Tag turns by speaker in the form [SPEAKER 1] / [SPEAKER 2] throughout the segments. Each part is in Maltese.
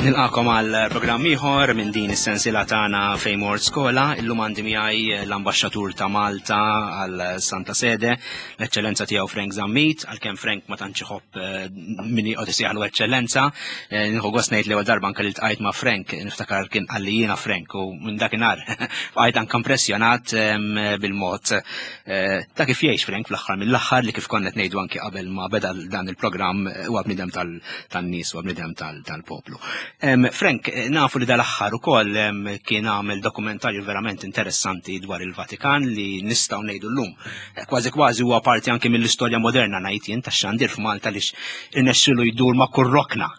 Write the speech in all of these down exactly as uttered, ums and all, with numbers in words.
[SPEAKER 1] Nilqagħkom għal programm ieħor minn din is-sensiela tagħna Fejn Mort Skola. Illum għandi miegħi l-ambaxxatur ta' Malta għal Santa Sede, l-Eċċellenza tiegħu Frank Zammit, għalkemm Frank ma tantx iħobb eh, min joqgħod isejjaħlu Eċċellenza. Eh, Nieħu gost ngħid l-ewwel darba anke li ltqajt ma' Frank, niftakar kien qalli jiena Frank u minn dakinhar bqajt anke impressjonat em, bil-mod eh, ta' kif jgħix Frank fl-aħħar mill-aħħar li kif konna qed ngħidu anke qabel ma beda dan il-programm eh, huwa bniedem tan-nies huwa bniedem tal-poplu. Em, Frank, eh, nafu li dal-aħħar ukoll em, kien għamel dokumentarju verament interessanti dwar il-Vatikan li nistgħu ngħidu llum. Eh, Kważi kważi huwa parti anke mill-istorja moderna ngħid jien tax-xandir f'Malta li irnexxielu jdur ma' kull rokna.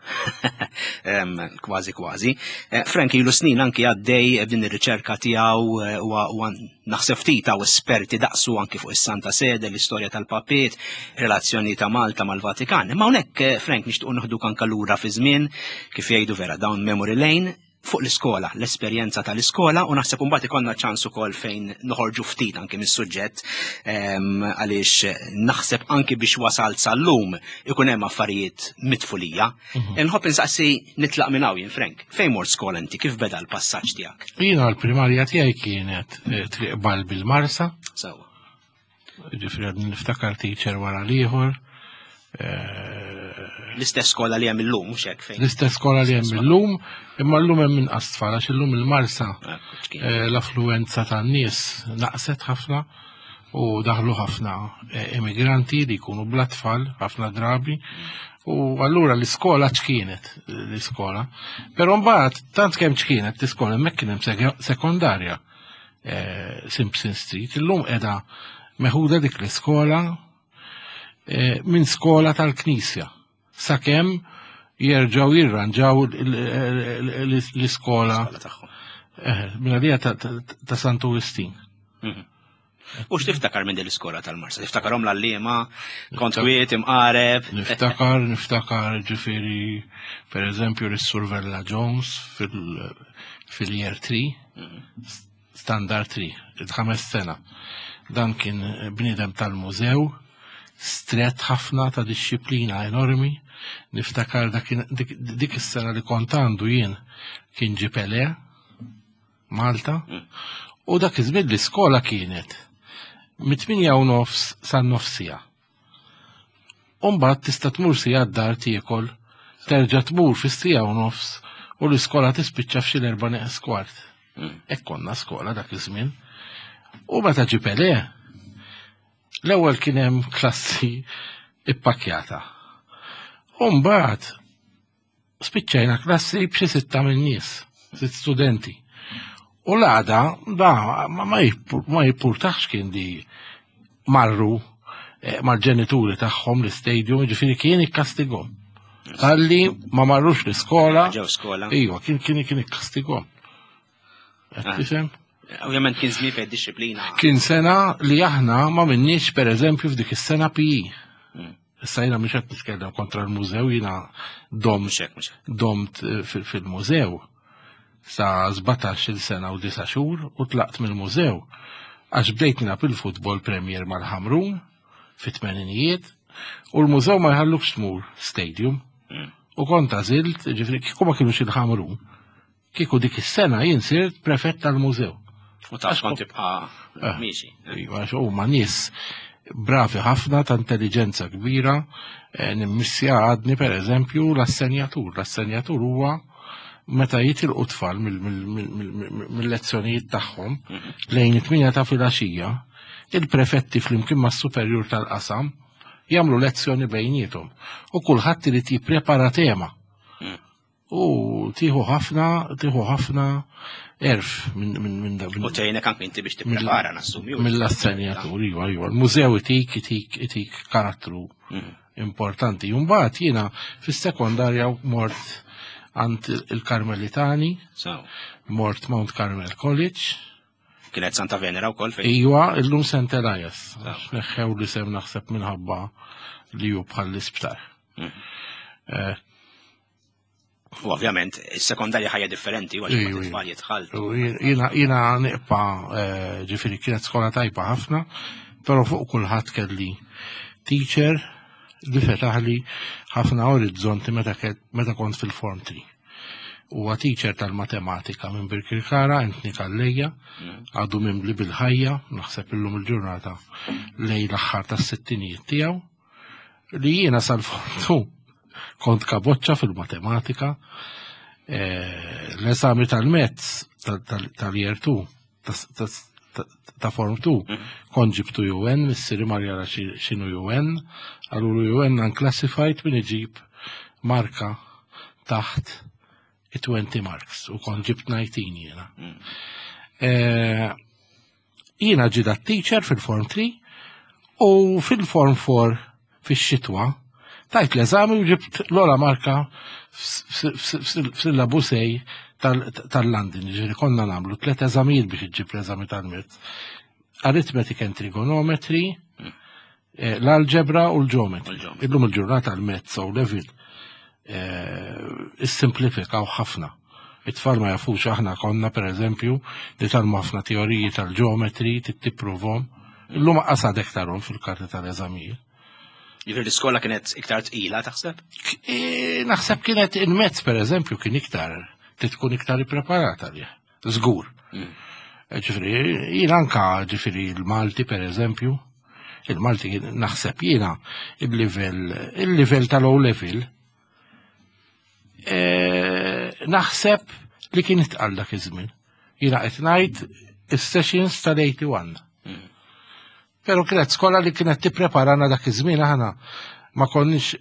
[SPEAKER 1] Em, Kważi kważi. Eh, Frank ilu snin anki għaddej b'din ir-riċerka tiegħu eh, huwa huwa naħseb ftit hawn esperti daqsu anki fuq is-Santa Sede, l-istorja tal-papiet, relazzjoni ta' Malta mal-Vatikan. Imma hawnhekk eh, Frank nixtiequ nieħduk anke lura fi żmien kif jgħidu vera down memory lane fuq l-iskola, l-esperjenza tal-iskola u naħseb imbagħad ikollna ċans ukoll fejn noħorġu ftit anki mis-suġġett em, għaliex naħseb anki biex wasalt sal-lum ikun hemm affarijiet mit-tfulija. Nħobb insaqsi nitlaq minn hawn jien Frank. Fejn mort skola inti kif beda l-passaġġ tiegħek?
[SPEAKER 2] Jiena l-primarja tiegħi kienet eh, Triq Balbi l-Marsa,
[SPEAKER 1] Sewwa.
[SPEAKER 2] ġifieri għadni niftakar teacher wara l-ieħor. eh,
[SPEAKER 1] L-istess skola li hemm illum mhux hekk fejn.
[SPEAKER 2] L-istess skola li hemm illum, imma llum hemm inqas tfal għax illum il-Marsa
[SPEAKER 1] Ekku, x'kien.
[SPEAKER 2] eh, l-affluenza tan-nies naqset ħafna u daħlu ħafna eh, immigranti li jkunu bla tfal ħafna drabi. U allura l-iskola ċkienet l-iskola. Però mbagħad tant kemm ċkienet l-iskola hemmhekk kien hemm sek- sekondarja eh, Simpson Street. Illum qiegħda meħuda dik l-iskola eh, minn skola tal-Knisja. Sakemm jerġgħu jirranġaw l-iskola
[SPEAKER 1] Skola tagħhom.
[SPEAKER 2] eh, minn għalija ta' ta' ta' Santu Wistin.
[SPEAKER 1] Mhm. U x'tiftakar minn din l-iskola tal-Marsa? Tiftakarhom l-għalliema, kont kwiet, imqareb.
[SPEAKER 2] Niftakar, niftakar ġifieri, per eżempju, l-Sur Vella Jones fil- fil-year three, standard three, il-ħames sena. Dan kien bniedem tal-mużew, stret ħafna ta' disċiplina enormi. Niftakar dak- dik dik is-sena li kont għandu jien kien ġie Pelé, Malta, u dak iż-żmien l-iskola kienet mit-tmienja u nofs sa nofs siegħa. Umbagħad tista' tmur siegħa d-dar tiekol, terġa' tmur fis-siegħa u nofs u l-iskola tispiċċa f'xi l-erbgħa neqes kwart. Hekk konna skola dak iż-żmien. U meta ġie Pelé, l-ewwel kien hemm klassi ippakjata. U mbagħad spiċċajna klassi b'xi sitta minn nies, sitt studenti. U l-għada, da, ma, ma, jippur- ma jippurtax kien di marru eh, mal-ġenituri tagħhom l-istadium, ġifieri kien ikkastigom. Talli ma marrux l-iskola.
[SPEAKER 1] Ġew skola.
[SPEAKER 2] Iva, kien kien kien ikkastigom. Qed
[SPEAKER 1] Ah.
[SPEAKER 2] tifhem?
[SPEAKER 1] Ovvjament kien żmien fejn disċiplina.
[SPEAKER 2] Kien sena li aħna ma minniex per eżempju f'dik is-sena P E.
[SPEAKER 1] Mm.
[SPEAKER 2] Issa jiena mhux qed nitkellem kontra l-mużew, jiena dom
[SPEAKER 1] Mhux hekk, mhux hekk.
[SPEAKER 2] domt eh, fil- fil-mużew sa sbatax-il sena u disa' xhur u tlaqt mill-mużew għax bdejt nilgħab il-futbol Premier mal-Ħamrun fit-tmeninijiet u l-mużew ma jħallukx tmur stadium
[SPEAKER 1] Mm.
[SPEAKER 2] u kont għażilt, ġifieri kieku ma kienux il-Ħamrun, kieku dik is-sena jien sirt prefett tal-mużew.
[SPEAKER 1] U taf kont tibqa'
[SPEAKER 2] Eh.
[SPEAKER 1] miexi.
[SPEAKER 2] Iva, għax huma nies bravi ħafna ta' intelligenza kbira, eh, nimmissja għadni per eżempju l-assenjatur. L-assenjatur huwa meta jitilqu tfal mill- mill- mill- mill- mill-lezzjonijiet tagħhom lejn it-tmienja ta' filgħaxija, il-prefetti flimkien mas-superjur tal-qasam jagħmlu lezzjoni bejniethom u kulħadd irid jipprepara tema.
[SPEAKER 1] Mm.
[SPEAKER 2] U tieħu ħafna, tieħu ħafna għerf minn minn minn da-
[SPEAKER 1] U tgħinek anke inti biex tipprepara nassumi.
[SPEAKER 2] mill-assenjatur, iva, iva. Il-mużew itik, itik, itik karattru
[SPEAKER 1] Mhm.
[SPEAKER 2] importanti. Mbagħad jiena fis-sekondarja mort għand il-Karmelitani,
[SPEAKER 1] So,
[SPEAKER 2] mort Mount Carmel College,
[SPEAKER 1] kienet Santa Venera wkoll fejn.
[SPEAKER 2] Iwa, illum Saint Elias. Neħħew li sem naħseb minħabba li hu bħal l-isptar.
[SPEAKER 1] Mhm.
[SPEAKER 2] Eh,
[SPEAKER 1] U ovvjament, is-sekondarja ħajja differenti, għax
[SPEAKER 2] Iju,
[SPEAKER 1] it-tfal jitħaltu.
[SPEAKER 2] U Jiena jiena nibqa' eh, ġifieri kienet skola tajba ħafna, però fuq kulħadd kelli teacher li fetaħli ħafna orizzonti meta ke- meta kont fil-form three. Huwa teacher tal-matematika minn Birkirkara, Anthony Calleja, għadu mimli bil-ħajja, naħseb illum il-ġurnata lejn l-aħħar tas-sittinijiet tiegħu, li jiena sal-form two kont kaboċċa fil-matematika, eh, l-eżami tal-maths tal-year two, ta' form two, kont ġibtu U N, missieri mar jara x'inhu U N, qalulu U N unclassified min iġib marka taħt twenty marks u kont ġibt disa' jiena. Eh, jiena ġida teacher fil-form three u fil-form four fix-xitwa tajt l-eżami u ġibt l-ogħla marka f'syllabus A tal-London, ġifieri konna nagħmlu tlet eżamijiet biex iġib l-eżami tal-maths. Arithmetic and Trigonometry, eh, l-algebra u l-geometry. Illum il-ġurnata l-maths O level issimplifikaw ħafna. It-tfal ma jafux, aħna konna per eżempju nitgħallmu ħafna teoriji tal-geometry, tipprovahom. Illum qasadek tarhom fil-karti tal-eżamijiet.
[SPEAKER 1] Jiġifieri l-iskola kienet iktar tqila, taħseb?
[SPEAKER 2] E, naħseb kienet il-maths per eżempju kien iktar, tkun iktar ippreparata li. Żgur. Mm. Ġifieri, jien anka ġifieri il-Malti per eżempju, il-Malti naħseb jiena il-level il-level tal-O level e, naħseb li kien itqal dak iż-żmien. Jiena qed ngħid is-sessions tal-erbgħa u tmenin. Mm. Pero kienet skola li kienet tippreparana dak iż-żmien, aħna ma konniex,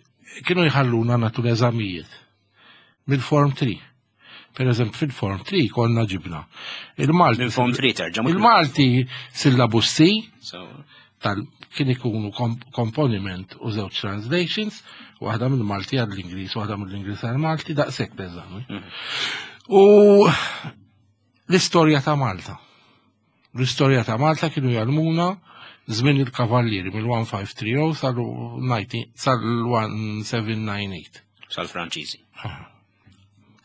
[SPEAKER 2] kienu jħalluna nagħtu l-eżamijiet mill-form three. Per eżempju, fil-form three konna ġibna.
[SPEAKER 1] Il-Malti. Mill-form three terġa'.
[SPEAKER 2] Il-Malti syllabus C, tal kien ikunu komponiment u żewġ translations, waħda mill-Malti għall-Ingliż, waħda mill-Ingliż għall-Malti, daqshekk l-eżami. Mhm. U l-istorja ta' Malta. L-istorja ta' Malta kienu jgħallmuna żmien il-kavallieri mill-elf ħamsa tlieta żero sal-elf seba' tmien tmien tmienja.
[SPEAKER 1] Sal-Franċiżi.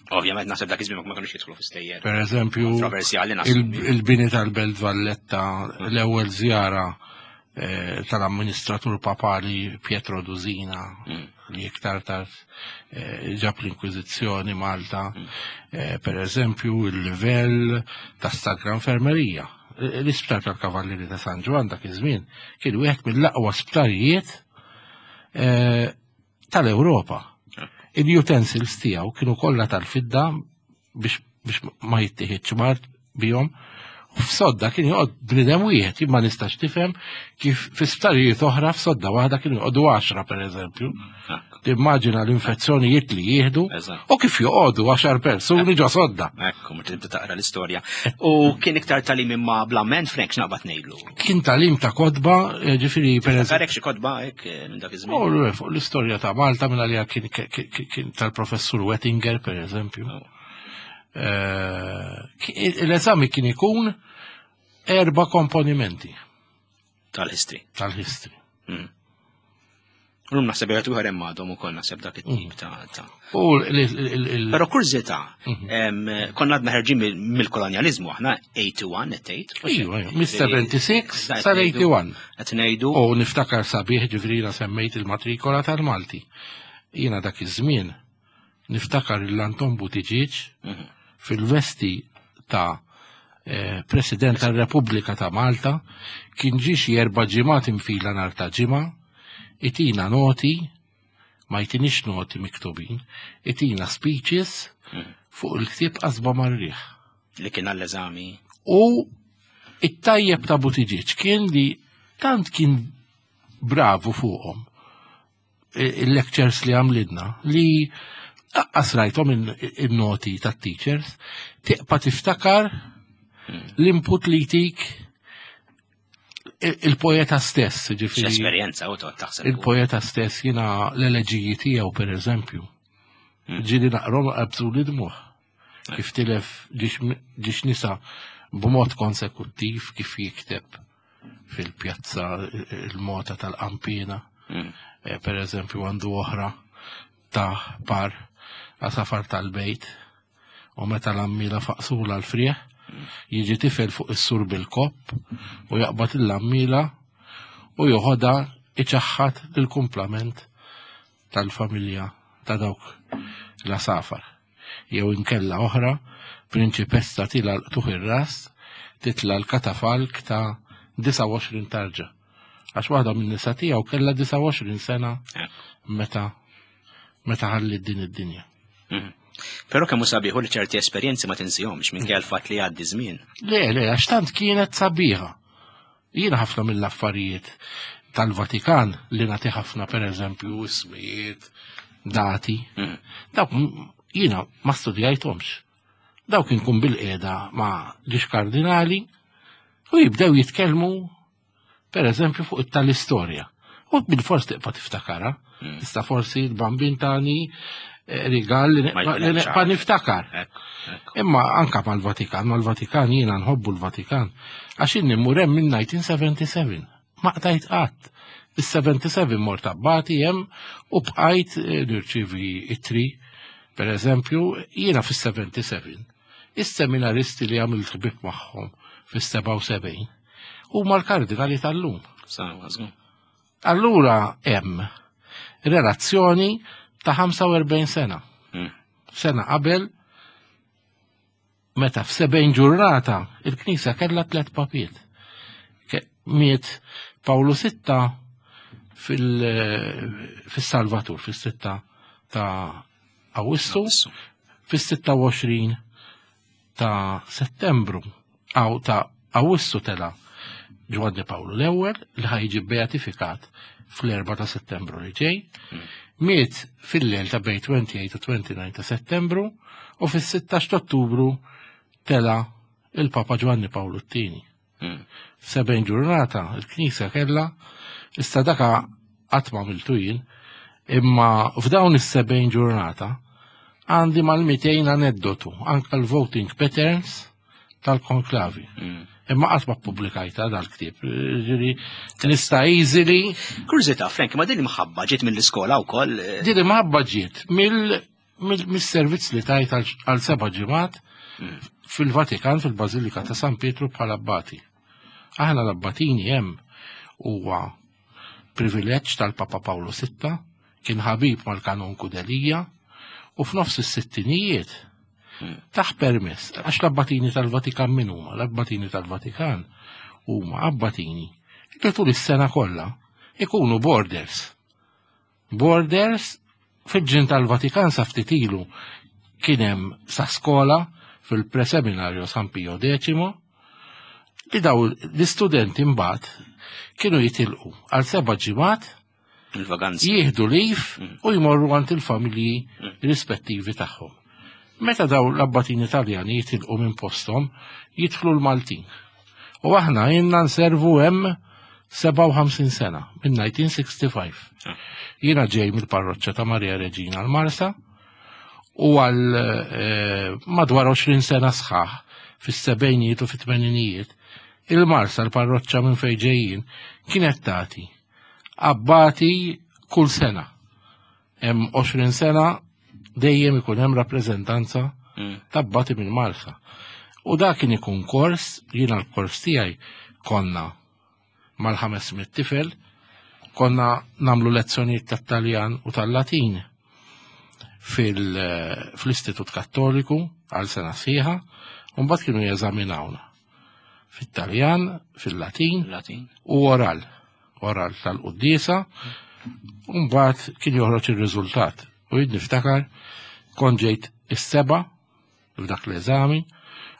[SPEAKER 1] Ovvjament naħseb dak iż-żmien ma kinux jidħlu fi-stejjer.
[SPEAKER 2] Per eżempju, il-bini tal-Belt Valletta, l-ewwel żjara eh, tal-amministratur papali Pietro Dusina, mm. li iktar tard eh, ġab l-Inkwiżizzjoni Malta, mm. eh, per eżempju, il-livell ta' Sacra Infermerija. L-isptar tal-Kavallieri ta' San Ġwann dak iż-żmien kien wieħed mill-aqwa sptarijiet tal-Ewropa. Il-utensils tiegħu kienu kollha tal-fidda biex biex ma jittieħedx mard bihom. U f'sodda kien joqgħod bniedem wieħed, jien ma nistax tifhem kif fi sptarijiet oħra f'sodda waħda kienu joqogħdu għaxra, per eżempju. Timmaġina l-infezzjonijiet li jieħdu u kif joqogħdu għaxar persuni ġo sodda.
[SPEAKER 1] Ekku, meta tibda taqra l-istorja. U kien iktar tagħlim imma bl-amment, Frank, x'naqbad ngħidlu?
[SPEAKER 2] Kien tagħlim ta' kotba, eh, ġifieri per eżempju.
[SPEAKER 1] Xi kotba hekk eh, minn dak iż-żmien.
[SPEAKER 2] Fuq l-istorja ta' Malta minn għalija kien tal-professur Wettinger, per eżempju. Oh. Eh, l-eżami kien ikun erba komponimenti.
[SPEAKER 1] Tal-history.
[SPEAKER 2] Tal-history.
[SPEAKER 1] Mm. Illum naħseb jgħatu ieħor hemm għadhom ukoll naħseb dak it-tip ta' ta' Però kurżità, mhm. konna għadna ħerġin mill-kolonjalizmu aħna, tmienja u sebgħin qed tgħid.
[SPEAKER 2] Ijwa, mis-sebgħa u sebgħin sal-tmienja u sebgħin.
[SPEAKER 1] Qed ngħidu.
[SPEAKER 2] U niftakar sabiħ, ġifieri semmejt il-matrikola tal-Malti. Jiena dak iż-żmien niftakar l-Anton Buttigieg mhm. fil-vesti ta' eh, President tal-Repubblika ta' Malta kien ġie xi erba' ġimgħat infila nhar ta' ġimgħa, itina noti, ma jtinix noti miktubin, itina speeches mhm. fuq il-ktieb Qasba mar-Riħ.
[SPEAKER 1] Li kien għall-eżami.
[SPEAKER 2] U it-tajjeb ta' Buttigieg kien li tant kien bravu fuqhom il-lectures li għamlilna li lanqas rajthom il-noti ta' teachers, tibqa' tiftakar l-input li jtik il-poeta stess,
[SPEAKER 1] ġifieri. Esperjenza u taħseb.
[SPEAKER 2] Il-poeta stess, jiena l-eleġiji tiegħu, per eżempju. Hmm. Ġieli naqrahom qabżu li dmugħ. Kif tilef ġiex nisa b'mod konsekuttiv, kif jikteb fil-pjazza il-mota tal-qampina. Hmm. Eh, per eżempju, għandu oħra ta' par għasafar tal-bejt u meta l-għammiela faqsula l-frieħ, jiġi tifel fuq is-sur bil-kopp u jaqbad l-għammiela u joħodha iċaħħat il-kumplament tal-familja ta' dawk l-għasafar. Jew inkella oħra, prinċipessa tila tuħ ir-ras, titla l-katafalk ta' disgħa u għoxrin tarġa. Għax waħda minn nisa tiegħu kellha disgħa u għoxrin sena meta, meta ħalli din id-dinja.
[SPEAKER 1] Mhm. Però kemm hu sabiħ li ċerti esperjenzi ma tinsihomx minkejja l-fatt li jgħaddi żmien.
[SPEAKER 2] Le, le, għax tant kienet sabiħa. Jiena ħafna mill-affarijiet tal-Vatikan li nagħti ħafna, pereżempju, ismijiet, dati.
[SPEAKER 1] Mhm.
[SPEAKER 2] Dawk jiena ma studjajthomx. Dawk inkun bil-qiegħda ma' ġiex kardinali u jibdew jitkellmu pereżempju fuq it-tal-istorja. U bil-fors tibqa' tiftakara.
[SPEAKER 1] Mm.
[SPEAKER 2] Issa forsi l-bambin tani, eh, rigal li
[SPEAKER 1] Ma
[SPEAKER 2] neqpa'
[SPEAKER 1] jkun
[SPEAKER 2] li
[SPEAKER 1] hemm
[SPEAKER 2] neqpa'
[SPEAKER 1] ċar.
[SPEAKER 2] niftakar.
[SPEAKER 1] Ekku, ekku.
[SPEAKER 2] Imma anka mal-Vatikan, mal-Vatikan jiena nħobbu l-Vatikan. Għax inni mmur hemm minn nineteen seventy-seven. Ma qtajt qatt. Is-seventy-seven mort abbati hemm u bqajt, eh, nirċievi ittri. Per eżempju, jiena fis-seventy-seven, is-seminaristi li għamilt ħbieb magħhom fis-sebgħa u sebgħin huma l-kardinali tal-lum.
[SPEAKER 1] Sawa, żgur.
[SPEAKER 2] Allura hemm relazzjoni ta' ħamsa u erbgħin sena.
[SPEAKER 1] Mm.
[SPEAKER 2] Sena qabel, meta f'sebgħin ġurnata il-Knisja kellha tliet papiet. Ke-, miet Pawlu sitta fil-, fis-Salvatur, fis-sitta ta' Awwissu,
[SPEAKER 1] Awwissu.
[SPEAKER 2] fis-sitta u għoxrin ta' Settembru, aw ta' Awwissu tela Ġwanni Pawlu l-ewwel li ħajġi beatifikat fl-erba' ta' Settembru li ġej. Miet fil-lejl ta' bejn twenty-eight u twenty-nine ta' Settembru u fis-sittax ta' Ottubru tela il-Papa Ġwanni Pawlu t-tieni.
[SPEAKER 1] Mm.
[SPEAKER 2] F'sebgħin ġurnata il-Knisja kellha, issa daka qatt ma għamiltu jien, imma f'dawn is-sebgħin ġurnata għandi mal-mitejn aneddotu, anka l-voting patterns tal-konklavi.
[SPEAKER 1] Mm.
[SPEAKER 2] Imma qatt ma ppubblikajta dal-ktieb. Ġifieri nista' easily.
[SPEAKER 1] Kurżità, Frank, ma din imħabba ġiet mill-iskola wkoll?
[SPEAKER 2] Din imħabba ġiet mill-, mill-, mis-servizz li tajt għal, għal seba' ġimgħat
[SPEAKER 1] Mm.
[SPEAKER 2] fil-Vatikan, fil-Bażilika ta' San Pietru bħala abbati. Aħna l-abbatini hemm huwa privileġġ tal-Papa Pawlu sitta, kien ħabib mal-Kanonku Delija, u f'nofs is-sittinijiet taħ permess, għax l-abbatini tal-Vatikan min huma? L-abbatini tal-Vatikan huma abbatini li tul is-sena kollha ikunu borders. Borders fil-ġin tal-Vatikan sa ftit ilu kien hemm sa skola fil-preseminarju San Pio Decimo li daw l-istudenti mbagħad kienu jitilqu għal seba' ġimgħat
[SPEAKER 1] il-vaganzi.
[SPEAKER 2] Jieħdu lif
[SPEAKER 1] Mm.
[SPEAKER 2] u jmorru għand il-familji
[SPEAKER 1] Mm.
[SPEAKER 2] rispettivi tagħhom. Meta daw l-abbatini Taljani jitilqu minn posthom, jidħlu l-Maltin. U aħna jenna nservu hemm sebgħa u ħamsin sena, minn nineteen sixty-five.
[SPEAKER 1] Ah.
[SPEAKER 2] Jiena ġej mill-parroċċa ta' Maria Reġina l-Marsa u għal, eh, madwar għoxrin sena sħaħ fis-sebgħinijiet u fit-tmeninijiet, il-Marsa l-parroċċa minn fejn ġejjin kienet tagħti abbati kull sena. Hemm għoxrin sena dejjem ikun hemm rappreżentanza
[SPEAKER 1] Mm.
[SPEAKER 2] ta' abbati minn Marsa. U dak kien ikun kors, jiena l-kors tiegħi konna mal-ħames mitt tifel, konna namlu lezzjonijiet tat-Taljan u tal-Latin fil-, fl-Istitut Kattoliku għal sena sħiħa, u mbagħad kienu jeżaminawna fit-Taljan, fil-Latin
[SPEAKER 1] Latin.
[SPEAKER 2] u oral, oral tal-quddiesa, u mbagħad kien joħroġ ir-riżultat. U jien niftakar kont ġejt is-seba' f'dak l-eżami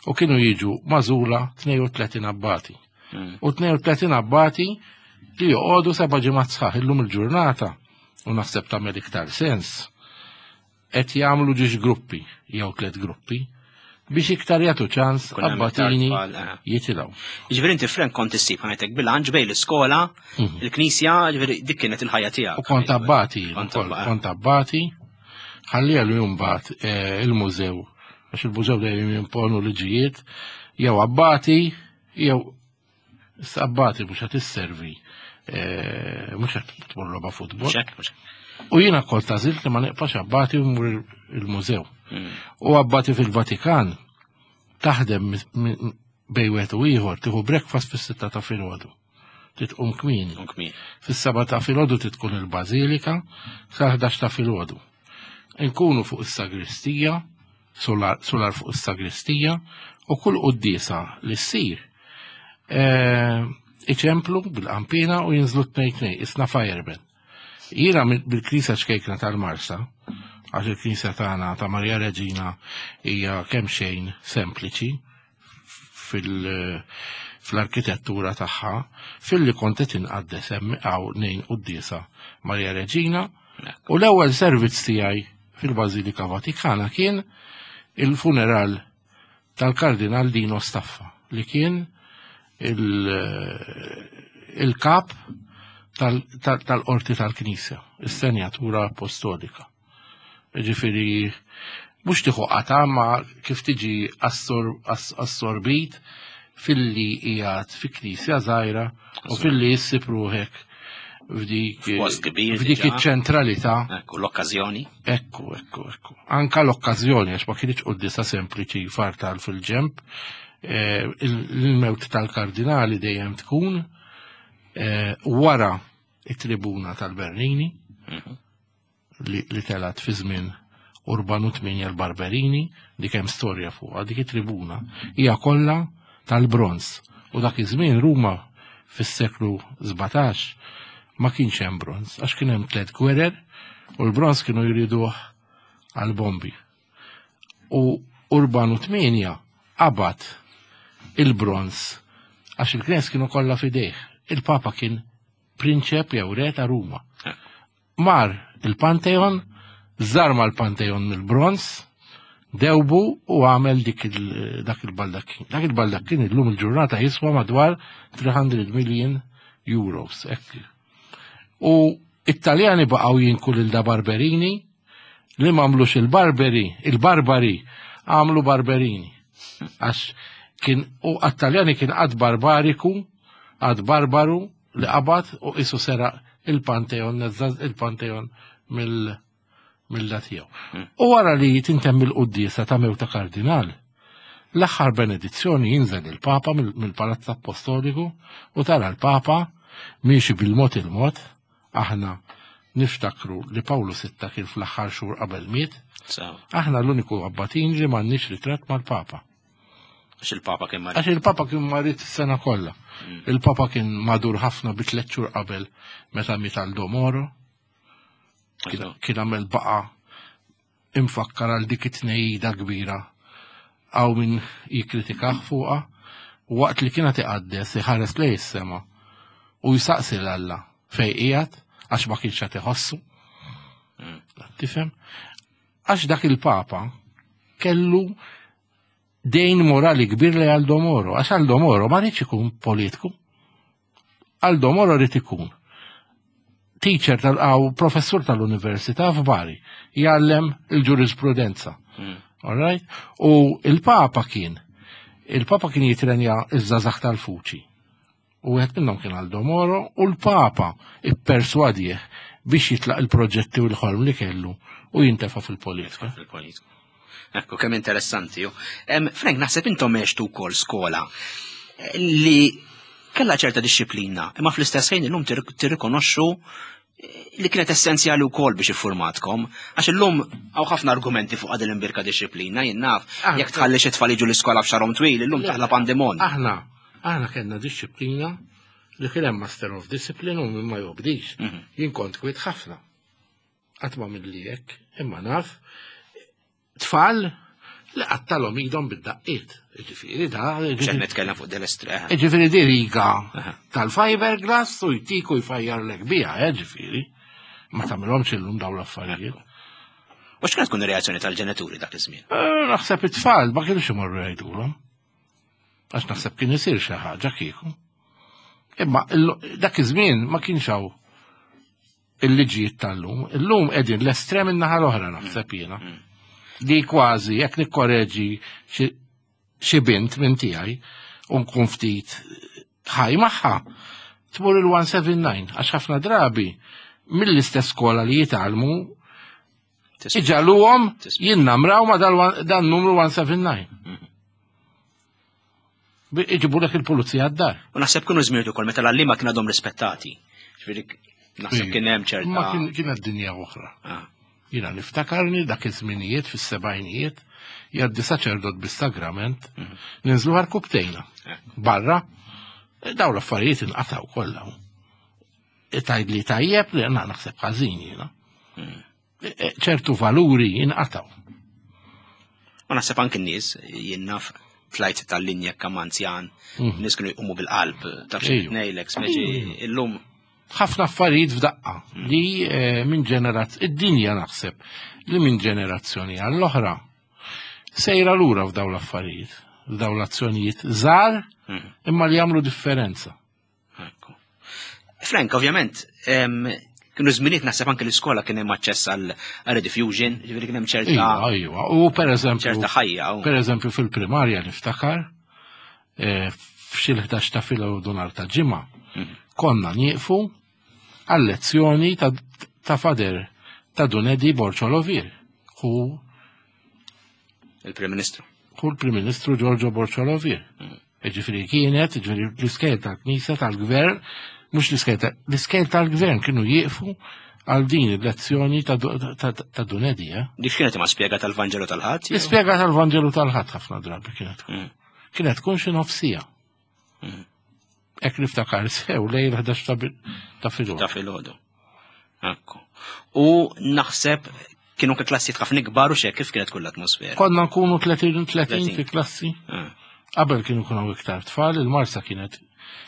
[SPEAKER 2] u kienu jiġu magħżula tnejn u tletin abbati.
[SPEAKER 1] Mm.
[SPEAKER 2] U tnejn u tletin abbati li joqogħdu seba' ġimgħat sħaħ illum il-ġurnata u naħseb tagħmel iktar sens. Qed jagħmlu ġiex gruppi jew tliet gruppi biex iktar jagħtu ċans
[SPEAKER 1] Kun hemm iktar
[SPEAKER 2] abbatini
[SPEAKER 1] tfal, eh.
[SPEAKER 2] jitilgħu.
[SPEAKER 1] Jiġifieri inti Frank kont issib ħajtek bilanċ bejn l-iskola,
[SPEAKER 2] Mhm.
[SPEAKER 1] il-knisja, jiġifieri dik kienet il-ħajja tiegħek.
[SPEAKER 2] U kont abbati,
[SPEAKER 1] Kont
[SPEAKER 2] ukoll,
[SPEAKER 1] abbati.
[SPEAKER 2] kont abbati, ħalli għallu jumbat, eh, il-mużew, għax il-mużew dejjem jimponu liġijiet, jew abbati, jew issa abbati mhux qed isservi, eh, mhux qed tmur logħba futbol.
[SPEAKER 1] Mhux hekk, mhux hekk.
[SPEAKER 2] U jiena kont għażilt li ma neqpax abbati u mmur il-mużew.
[SPEAKER 1] Mm.
[SPEAKER 2] U abbati fil-Vatikan taħdem mi-, mi-, bejn wieħed u ieħor, tieħu breakfast fis-sitta ta' filgħodu. Titqum kmieni.
[SPEAKER 1] Tqum kmieni.
[SPEAKER 2] Fis-seba' ta' filgħodu titkun il-bażilika, sa ħdax ta' filgħodu. Inkunu fuq is-sagristija Solar, solar fuq is-sagristija u kull quddiesa li ssir eh, iċemplu bil-qampina u jinżlu tnejn tnejn, isna fireman. Jiena bil-knisja ċkejkna tal-Marsa, għax il-knisja tagħna ta' Marja Reġina hija kemm xejn sempliċi fil- fl-arkitettura tagħha, filli kont qed inqaddes hemm hawn nejn quddiesa Marja Reġina, u l-ewwel servizz tiegħi fil-Bażilika Vatikana kien il-funeral tal-Kardinal Dino Staffa li kien il-kap tal-qorti tal-Knisja, is-Senjatura Apostolika. Ġifieri, mhux tieħu qata ma kif tiġi assorbit filli qiegħed fi knisja żgħira u filli issib ruħek f'dik f'dik iċ-ċentralità.
[SPEAKER 1] Ekku, l-okkażjoni.
[SPEAKER 2] Ekku, ekku, ekku. Anka l-okkażjoni, għax ma kienx quddiesa sempliċi fartal fil-ġemp, eh, il-mewt tal-kardinali dejjem tkun eh, wara it-tribuna tal-Bernini mhm. li telat fi żmien Urbanu Tminja l-Barberini, dik hemm storja fuqha, dik it-tribuna hija kollha tal-bronz. U dak iż-żmien Ruma fis-seklu sbatax ma kienx hemm bronz, għax kien hemm tliet gwerer u l-bronz kienu jriduh għal-bombi. U Urbanu Tminja qabad il-bronz għax il-knejjes kienu kollha fidejh. Il-Papa kien prinċep jew re ta' Ruma. Mar il-Pantheon, żarma l-Pantheon mill-bronz, dewbu u għamel dik dak il-baldakkin. Dak il-baldakkin illum il-ġurnata jiswa madwar tliet mitt million euros. Ekk. U Italjani baqgħu jinku lil da Barberini li m'għamlux il-Barberi, il-Barbari għamlu Barberini. Għax kien u għat-Taljani kien għad barbariku, għad barbaru li qabad u isu sera il-Pantheon, il-Pantheon mill mill tiegħu. U wara li tintemm il-quddiesa ta' mewta kardinal, l-aħħar benedizzjoni jinżel il-Papa mill-Palazz Apostoliku u tara l-Papa miexi bil-mod il-mod. Aħna niftakru li Pawlu Sitta kien fl-aħħar xhur qabel miet. Aħna l-uniku abbatin li m'għandniex ritratt mal-Papa.
[SPEAKER 1] Għax il-Papa kien marid.
[SPEAKER 2] Għax il-Papa kien marid is-sena kollha. Mm. Il-Papa kien madur ħafna bi tliet xhur qabel meta miet Aldo Moro. Kien għamel baqa imfakkar għal dik it-tnejda kbira għaw min jikkritikah fuqha, waqt li kienet iqaddes iħares lej is-sema u jsaqsi 'l Alla fej qiegħed għax ma kienx qed iħossu. Mm. Tifhem? Għax dak il-Papa kellu dejn morali kbir li Aldo Moro, għax Aldo Moro ma rridx ikun politiku. Aldo Moro rrid ikun teacher tal-għaw professur tal-università f'Bari, jgħallem il-ġurisprudenza. Mm. All right? U il-Papa kien, il-Papa kien jitrenja iż-żgħażagħ tal-Fuċi. U wieħed minnhom kien Aldo Moro u l-Papa ipperswadih biex jitlaq il-proġetti u l-ħolm li kellu u jintefa' fil-politika.
[SPEAKER 1] Fil-politika. Ekku, kemm interessanti. Frank, naħseb intom għextu wkoll skola li kella ċerta disċiplina, imma fl-istess ħin illum tirrikonoxxu li kienet essenzjali wkoll biex iffurmatkom, għax illum hawn ħafna argumenti fuq għadil imbirka disċiplina, jien naf, jekk tħalli xi tfal jiġu l-iskola b'xarhom twil, illum taħla pandemon.
[SPEAKER 2] Aħna, aħna kellna disċiplina li kien hemm Master of Discipline u min ma jobdix. Mhm. Jien kont kwiet ħafna. Qatt ma milli hekk, imma naf tfal li qattalhom idhom bid-daqqiet. Ġifieri da.
[SPEAKER 1] Xejn nitkellem fuq del-estrem.
[SPEAKER 2] Ġifieri di riga tal-fiberglass u jtiku jfajjarlek biha, eh, ġifieri. Ma tagħmilhomx illum dawn l-affarijiet.
[SPEAKER 1] U x'kienet tkun ir-reazzjoni tal-ġenituri dak iż-żmien?
[SPEAKER 2] Eh, naħseb it-tfal ma kienux imorru jgħidulhom. Għax naħseb kien isir xi ħaġa kieku. Imma dak iż-żmien ma kienx hawn il-liġijiet tal-lum. Illum qegħdin l-estrem in-naħa l-oħra naħseb jiena. Mm. Li kważi jekk nikkoreġi xi bint minn tiegħi u nkun ftit ħaj magħha, tmur il-one seven nine għax ħafna drabi mill-istess skola li jitgħallmu iġagħluhom jinnamraw ma dan numru one seven nine. Mhm. Iġibu lek il-pulizija għad-dar.
[SPEAKER 1] U naħseb kienu żmien ukoll meta l-għalliema kien għadhom rispettati. Ġifieri naħseb kien hemm ċerta.
[SPEAKER 2] Ma kien kienet dinja oħra. Ah. Jiena niftakarni dak iż-żminijiet fis-sebgħinijiet Jgħaddi saċerdot bis-sagrament, ninżlu għarkupptejna. Barra, daw l-affarijiet inqataw kollha. Tgħid li tajjeb li għandna naħseb ħażin jiena. Ċertu valuri inqataw.
[SPEAKER 1] Ma naħseb anke n-nies, jien naf tlajt tal-linja kemm anzjan, nies kienu jqumu bil-qalb, taf xi
[SPEAKER 2] Ejju.
[SPEAKER 1] ngħidlek, speċi illum
[SPEAKER 2] ħafna affarijiet f'daqqa li eh, minn ġeneraz id-dinja naħseb li minn ġenerazzjoni għall-oħra sejra lura f'daw l-affarijiet, f'daw l-azzjonijiet żgħar imma li jagħmlu differenza.
[SPEAKER 1] Ekku. Frank, ovvjament, em, kienu żminijiet naħseb anke l-iskola kien hemm aċċess għal rediffusion, ġifieri kien hemm ċerta
[SPEAKER 2] Iva, iva. U per eżempju,
[SPEAKER 1] ċerta ħajja. u-
[SPEAKER 2] per eżempju fil-primarja niftakar eh, f'xi l-ħdax ta' filgħodu nhar ta' ġimgħa konna nieqfu għal-lezzjoni ta', ta' Father ta' Dun Eddie Borg Olivier. Hu
[SPEAKER 1] il-Prim Ministru.
[SPEAKER 2] hu l-Prim Ministru Giorgio Borg Olivier. Ġifieri kienet, ġifieri l-iskejjel tal-Knisja tal-Gvern, mhux l-iskejjel ta- l-iskejjel tal-Gvern kienu jieqfu għal din il-lezzjoni ta' ta' ta' Dun Eddie, eh?
[SPEAKER 1] Dik kienet imma spjega tal-Vanġelu tal-Ħadd? jew?
[SPEAKER 2] L-ispjega tal-Vanġelu tal-Ħadd ħafna drabi kienet tkun.
[SPEAKER 1] Mm.
[SPEAKER 2] Kienet tkun xi nofsija. Hekk niftakar sew lejn ħdax ta' bi- ta' filgħodu.
[SPEAKER 1] Ta' filgħodu. Ekku. U naħseb kienu anke klassijiet ħafna ikbar u xek kif kienet kull l-atmosfera.
[SPEAKER 2] Konna nkunu tletin tletin
[SPEAKER 1] tletin.
[SPEAKER 2] fi klassi.
[SPEAKER 1] Ah,
[SPEAKER 2] Qabel kienu kunu iktar tfal, il-Marsa kienet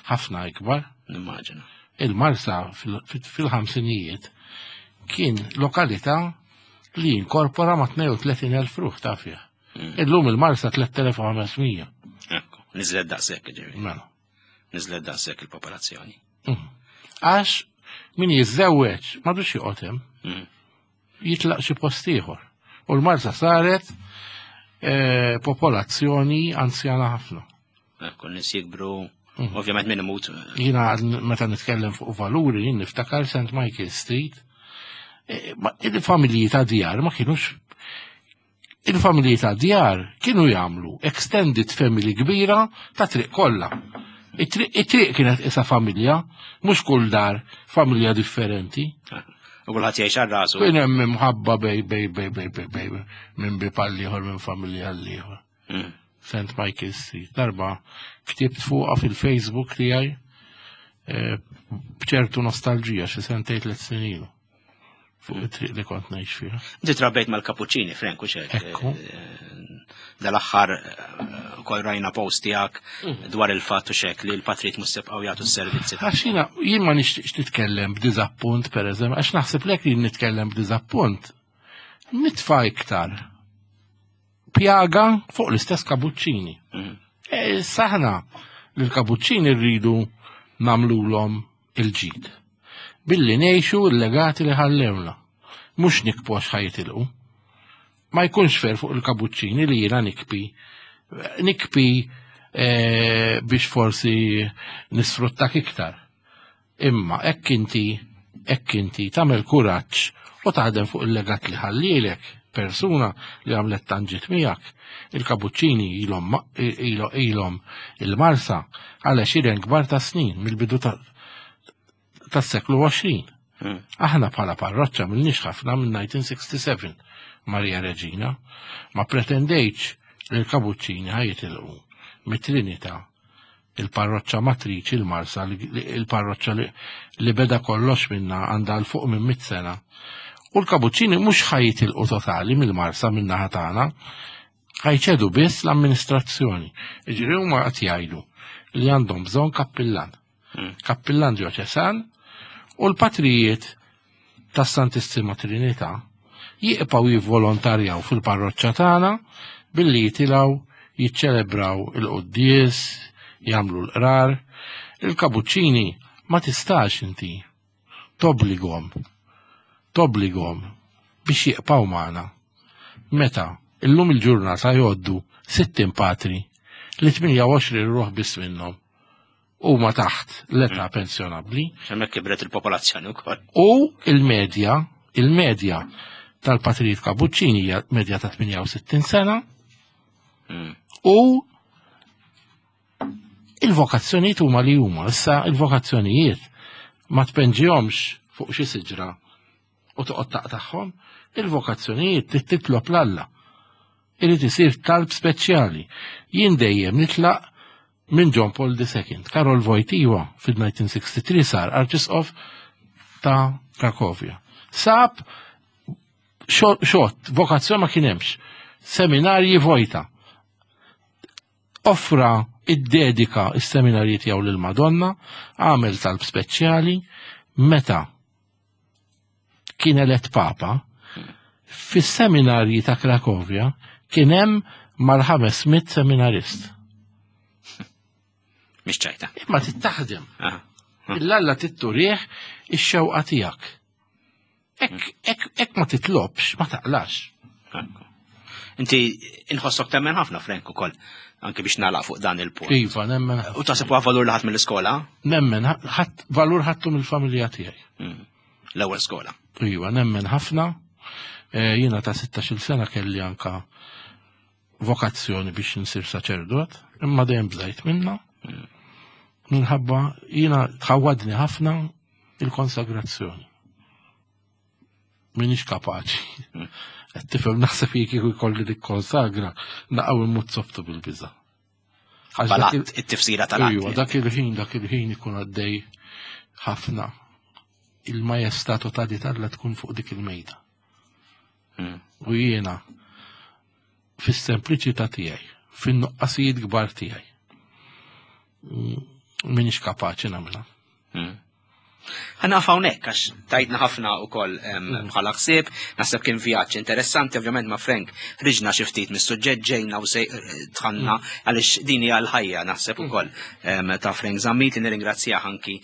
[SPEAKER 2] ħafna ikbar.
[SPEAKER 1] Nimmaġina.
[SPEAKER 2] Il-Marsa fil- fil- fil-ħamsinijiet kien lokalità li inkorpora ma' tnejn u tletin elf ruħ ta' fih. Illum il-Marsa tliet elef u ħames mija.
[SPEAKER 1] Ekku. Niżlet daqshekk ġifieri.
[SPEAKER 2] Mela.
[SPEAKER 1] Niżlet daqshekk il-popolazzjoni.
[SPEAKER 2] Għax min jiżżewweġ m'għadux joqgħod hemm,
[SPEAKER 1] Mm.
[SPEAKER 2] jitlaq xi post ieħor. U l-Marsa saret eh, popolazzjoni anzjana ħafna.
[SPEAKER 1] Ekku, nies jikbru, ovvjament min imut.
[SPEAKER 2] Jiena meta nitkellem fuq valuri, jien niftakar Saint Michael Street, eh, ma- il-familji ta' djar ma kienux il-familji ta' djar kienu jagħmlu extended family kbira ta' triq kollha. It-triq it-triq kienet isa familja, mhux kull dar familja differenti.
[SPEAKER 1] U kulħadd jgħix għal rasu.
[SPEAKER 2] Kien hemm imħabba bej bej bej bej bej bej minn bieb għal ieħor, minn familja għal ieħor.
[SPEAKER 1] Mm.
[SPEAKER 2] Saint Michael Street. Darba ktibt fuqha fil-Facebook tiegħi eh, b'ċertu nostalġija xi sentejn tliet snin ilu. Fuq it-triq li kont ngħix fiha.
[SPEAKER 1] Inti trabbejt mal-Kapuċċini, Frank, u xek.
[SPEAKER 2] Ekku.
[SPEAKER 1] Dal-aħħar eh, kol rajna post tiegħek dwar il-fatt u xek li l-patrijiet mhux sebqgħu jagħtu s-servizzi.
[SPEAKER 2] Għax jiena jien ma nixtieqx nitkellem b'diżappunt, pereżempju, għax naħseb lek li nitkellem b'diżappunt. Nitfa' iktar pjaga fuq l-istess kabuċċini.
[SPEAKER 1] Mm.
[SPEAKER 2] E, Saħna li l-kabuċċini rridu nagħmlulhom il-ġid. Billi ngħixu l-legati li ħallewna. Mhux nikbu għax ħa jitilqu. Ma jkunx fair fuq il-kabuċċini li jiena nikbi. Nikbi eh, biex forsi nisfruttak iktar. Imma hekk inti, hekk inti tagħmel kuraġġ u taħdem fuq il-legat li ħallilek persuna li għamlet tant ġid miegħek. Il-kabuċċini ilhom ma- ilo- ilhom il-Marsa għal għexieren kbar ta' snin mill-bidu ta' tas-seklu għoxrin.
[SPEAKER 1] Mm.
[SPEAKER 2] Aħna bħala parroċċa m'ilniex ħafna minn elf disa' mija u sitta u sebgħin Maria Reġina, ma pretendejtx li l-kabuċċini ħa jitilqu mit-Trinità, il-parroċċa matriċi, il-Marsa, li- il-parroċċa li, li beda kollox minna, għandha 'l fuq minn mit sena. U l-kabuċċini mhux ħa jitilqu totali mill-Marsa minn naħa tagħna, ħa jċedu biss l-amministrazzjoni. Iġri huma qed jgħidu li għandhom bżonn kappillan.
[SPEAKER 1] Mm.
[SPEAKER 2] Kappillan djoċesan u l-patrijiet tas-Santissima Trinità jibqgħu jivvolontarjaw fil-parroċċa tagħna billi jitilgħu jiċċelebraw il-quddies, jagħmlu l-qrar. Il-kabuċċini ma tistax inti tobbligahom tobbligahom biex jibqgħu magħna. Meta illum il-ġurnata jgħoddu sittin patri li tmienja u għoxrin ruħ biss minnhom huma taħt l-età pensjonabbli.
[SPEAKER 1] Hemmhekk kibret il-popolazzjoni wkoll.
[SPEAKER 2] U il-medja, il-medja tal-patrijiet kabuċċini hija medja ta' tmienja u sittin sena
[SPEAKER 1] Mm.
[SPEAKER 2] u il-vokazzjonijiet huma li huma. Issa il-vokazzjonijiet ma tpenġihomx fuq xi siġra u toqgħod taqtagħhom, il-vokazzjonijiet trid titlob 'l Alla. Irid isir talb speċjali. Jien dejjem nitlaq minn John Paul the Second. Karol Wojtyła fil-elf disa' mija u tlieta u sittin sar arċisqof ta' Krakovja. Sab xot, vokazzjoni ma kien hemmx. Seminarji vojta. Offra, iddedika is-seminarji tiegħu lil Madonna, għamel talb speċjali, meta kien elett papa, fis-seminarji ta' Krakovja kien hemm mal-ħames mitt seminarist.
[SPEAKER 1] Mhix ċajta.
[SPEAKER 2] Imma tittaħdem. Il-Alla trid turih ix-xewqa tiegħek. Hekk ma titlobx, ma taqlax.
[SPEAKER 1] Inti inħossok temmen ħafna, Frank, ukoll, anke biex nagħlaq fuq dan il-punt.
[SPEAKER 2] Iva, nemmen.
[SPEAKER 1] U taħseb huwa valur li ħadt mill-iskola?
[SPEAKER 2] Nemmen, ħadd valur ħadtu mill-familja tiegħi.
[SPEAKER 1] Mm. L-ewwel skola.
[SPEAKER 2] Iva, nemmen ħafna. Eh, jiena ta' sittax-il sena kelli anka vokazzjoni biex nsir saċerdot, imma dejjem bżajt minna. Mm. Minħabba jiena tħawadni ħafna il-konsagrazzjoni. Minix kapaċi. Mm. Qed tifhem, naħseb kieku jkolli nikkonsagra, naqgħu immut softu bil-biża.
[SPEAKER 1] It-tifsira tal
[SPEAKER 2] Iva, dak il-ħin, dak il-ħin ikun għaddej ħafna. Il-majestà totali t'Alla tkun fuq dik il-mejda. Hmm. U jiena fis-sempliċità tiegħi, fin-nuqqasijiet kbar tiegħi, mm, minix kapaċi nagħmilha.
[SPEAKER 1] Hmm. Ħa nieqaf hawnhekk għax tajtna ħafna ukoll mm. bħala ħsieb, naħseb kien vjaġġ interessanti, ovvjament ma' Frank ħriġna xi ftit mis-suġġett, ġejna u dħalna mm. għaliex din hija l-ħajja naħseb mm. ukoll ta' Frank Zammit, li nirringrazzjah anki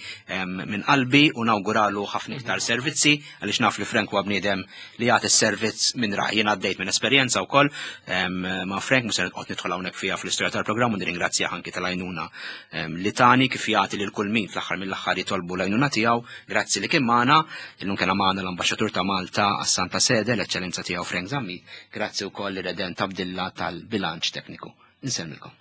[SPEAKER 1] minn qalbi u nawguralu ħafna iktar servizzi, għaliex naf li Frank huwa bniedem li jagħti s-servizz minn raj. Jien għaddejt minn esperjenza wkoll ma' Frank, mhux se noqgħod nidħol hawnhekk fiha fl-istorja tal-programm, u nirringrazzjah anki tal-għajnuna li tani, kif jagħti lil kull min fl-aħħar mill-aħħar jitolbu l-għajnuna tiegħu. Grazzi li kien magħna. Illum kien magħna l-Ambaxxatur ta' Malta għas-Santa Sede, l-Eċċellenza tiegħu Frank Zammit. Grazzi wkoll Redent Abdilla tal-bilanċ tekniku. Insellmilkom.